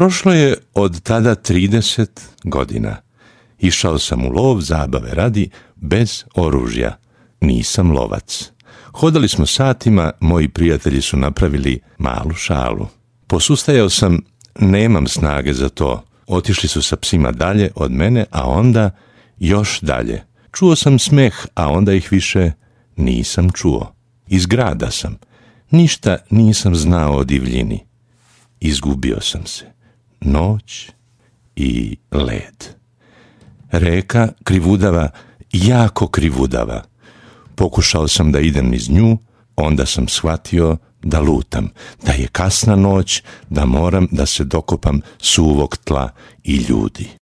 Prošlo je od tada 30 godina. Išao sam u lov zabave radi, bez oružja. Nisam lovac. Hodali smo satima, moji prijatelji su napravili malu šalu. Posustajao sam, nemam snage za to. Otišli su sa psima dalje od mene, a onda još dalje. Čuo sam smeh, a onda ih više nisam čuo. Iz grada sam. Ništa nisam znao o divljini. Izgubio sam se. Noć i led. Reka krivudava, jako krivudava. Pokušao sam da idem niz nju, onda sam shvatio da lutam, da je kasna noć, da moram da se dokopam suvog tla i ljudi.